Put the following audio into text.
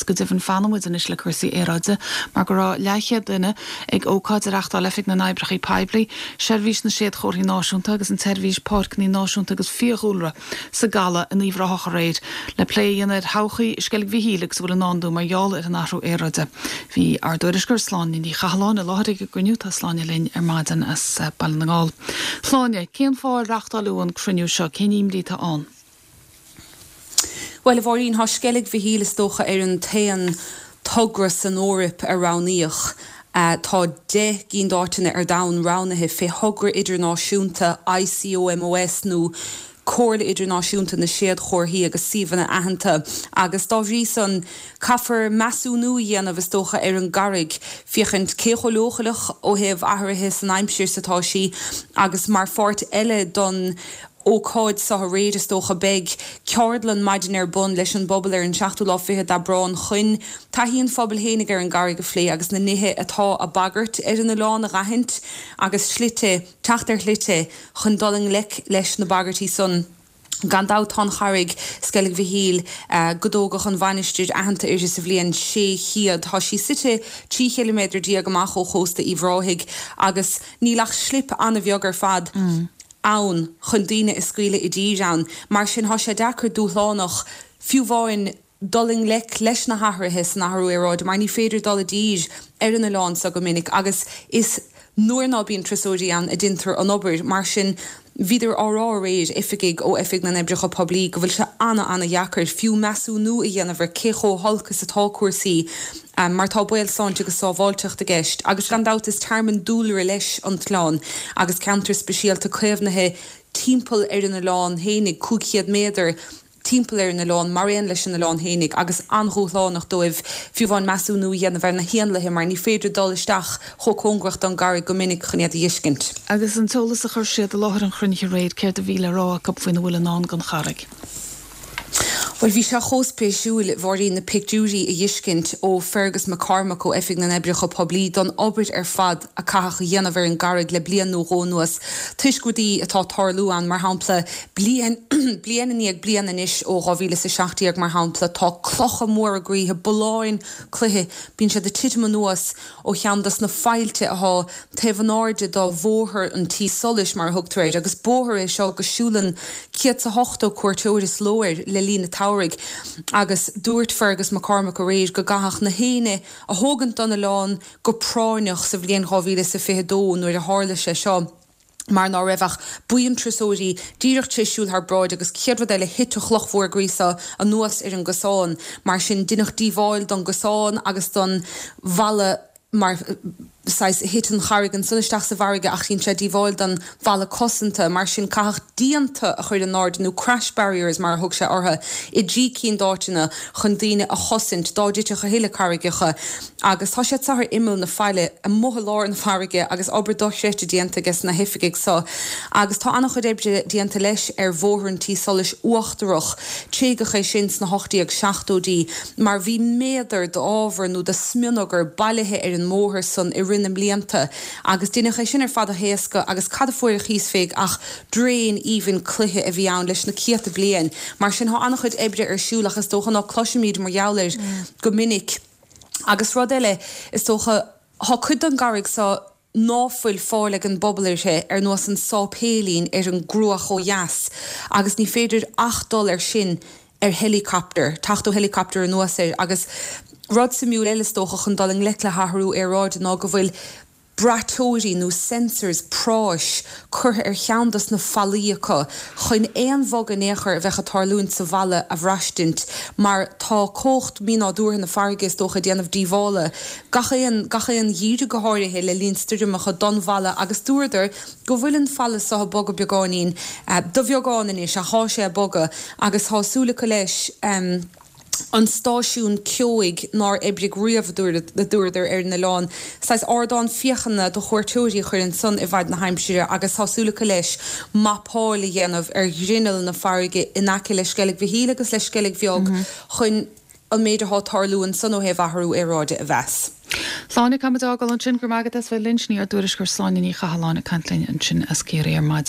Go deimhin fanann muid anois le cúrsaí aeráide mar go raibh leathchéad duine ag ócáid a reachtáil Oifig na nOibreacha Poiblí, Seirbhís na Séadchomharthaí Náisiúnta agus an tSeirbhís Páirceanna Náisiúnta agus Fiadhúlra sa gCaladh in Uíbh Ráthach aréir le plé a dhéanamh ar thodhchaí Sceilg Mhichíl agus a bhfuil i ndán dó mar gheall ar an athrú aeráide. Bhí ár dtuairisceoir Sláine Ní Chathalláin i láthair ag an gcruinniú. Tá Sláine linn ar maidin as Baile na nGall. Sláine, cén fáth ar reachtáileadh an cruinniú seo? Cén imní atá ann? Bhuel, a Mháirín, tá Sceilg Mhichíl, is dócha, ar an t-aon togra san Eoraip a roghnaíodh. Tá 10 gcinn d'áiteanna ar domhan roghnaithe fé thogra idirnáisiúnta ICOMOS nó Comhairle Idirnáisiúnta na Séadchomharthaí agus Suíomhanna Aitheanta agus dá bhrí san caithfear measúnú a dhéanamh, is dócha, ar an gcarraig, féachaint cé chomh leochaileach ó thaobh athruithe san aimsir is atá sí agus mar pháirt eile don ócáid seo aréir, is dócha. Beidh ceardlann maidine ar bun leis an bpobal ar an seachtú lá fichead d'Aibreán chun taithí an phobail fhéinig ar an gcarraig a phlé agus na nithe atá a bagairt ar an oileán a dh'aithint agus slite, teacht ar shlite chun dul i ngleic leis na bagairtí san. Gan dabht tá an charraig, Sceilg Mhichíl, go dtógadh an mhainistir aitheanta uirthi sa bhliain 600. Tá sí suite 13 chiliméadar amach ó chósta Uíbh Ráthaigh agus níl ach slip an-bheag ar fad ann chun daoine a scaoileadh i dtír ann. Mar sin, thá sé deacair, dúshlánach, fiú amháin dul i ngleic leis na hathruithe san athrú aeráide mar ní féidir dul i dtír ar an oileán seo go minic agus is nuair ná bíonn turasóirí ann a deintear an obair. Mar sin, bhíodar á rá aréir, oifigigh ó Oifig na nOibreacha Poiblí, go bhfuil sé ana-ana-dheacair fiú measúnú a dhéanamh ar cé chomh holc is atá cúrsaí mar tá baol sláinte agus sábháilteacht i gceist agus gan dabht is tearmann dúlra leis an t-oileán agus ceantar speisialta caomhnaithe timpeall ar an oileán fhéinig, 500 méadar timpeall ar an oileán mar aon leis an oileán fhéinig agus an-dhúshlánach dóibh fiú amháin measúnú a dhéanamh ar na héanlaithe mar ní féidir dul isteach chomh cóngarach don gcarraig go minic chun iad a dh'fheiscint. Agus an t-eolas a chuir siad i láthair an chruinnithe aréir, céard a bhí le rá acu faoina bhfuil i ndán don charraig? Bhuel, bhí sé chomh spéisiúil, a Mháirín, na pictiúirí a dh'fheiscint ó Fergus McCormack ó Oifig na nOibreacha Poiblí don obair ar fad a caitheadh a dhéanamh ar an gcarraig le bliain nó dhó anuas toisc rudaí atá ag tarlú ann, mar shampla, bliain, bliain i ndiaidh bliana anois ó 2017 mar shampla, tá clocha móra groíthe, bulláin cloiche, bíonn siad ag titim anuas ó cheann dos na faillte athá taobh in airde do Bhóthar an Tí Solais, mar a thugtar air, agus bóthar é seo go siúlann 180 cuairteoir sa ló air le linn an tsamhraidh, agus dúirt Fergus McCormack aréir go gcaithfeadh na héinne a thógaint don oileán go práinneach sa bhliain 2022 nuair a tharla sé seo. mar ná raibh ach buíon turasóirí díreach tar éis siúl thar bráid agus chéad rud eile thit an chloch mhór groí seo anuas ar an gcosán. Mar sin deineadh díobháil don gcosán agus don bhalla mar saghas thit an charraig ansan isteach sa bhfarraige ach dhein sé díobháil don bhalla cosanta. Mar sin caitheadh díonta a chur in airde nó crash barriers mar a thug sé orthu i dtrí cinn d'áiteanna chun daoine a chosaint dá dtitfeadh a thuilleadh carraigeacha. Agus tá siad seo ar imeall na faille, amuigh i lár na farraige agus obair dochreidte déanta aige sna hoifigigh seo. Agus tá an-chuid oibre déanta leis ar Bhóthar an Tí Solais Uachtarach. Tréigeadh é sin sna 1870idí mar bhí méadar d'ábhar nó de smionagar bailithe ar an mbóthar san i rith na mblianta agus deineadh é sin ar fad a thaoscadh agus cad a fuair a chíos féig ach draein aoibhinn cloiche a bhí ann leis na céadta bliain. Mar sin tá an-chuid oibre ar siúl ach is dócha ná cloisimid mar gheall air go minic. Agus rud eile, is dócha, thá cuid den gcarraig so ná fuil fáil ag an bpobal uirthi, ar nós an sáipéilín ar an gCruach ó dheas, agus ní féidir ach dul air sin ar helicopter, teacht ó helicopter anuas air. Agus rud suimiúil eile, is dócha, chun dul i ngleic le hathrú aeráide ná go bhfuil braiteoirí nó sensors práis curtha ar cheann dos na fallaí acu chun aon bhogadh in aon chor a bheadh ag tarlúint sa bhfalla a bhraistint mar tá cumhacht mínádúrtha na farraige is dócha ag déanamh díobhála gach aon gach aon gheimhreadh go háirithe le linn stoirmeacha don bhfalla agus dúradar go bhfuil an falla so ag bogadh beagáinín de bheagán anois ach thá sé ag bogadh agus thá súil acu leis an stáisiún ceoigh nár oibrigh riamh, a dúradar, ar an oileán. Saghas ardán féachana do chuairteoirí a chur ansan i bhfaid na haimsire agus tá súil acu leis mapáil a dhéanamh ar ghrinneall na farraige in aice le Sceilg Mhichíl agus le Sceilg Bheag chun an méid atá ag tarlú ansan ó thaobh athrú aeráide a mheas. Sláine, Caithfimid fhágáil ansin. Go raibh maith agat as bheith linn. Sin í ár dtuairisceoir Sláine Ní Chathalláin ag caint linn ansin as Ciarraí ar maidin.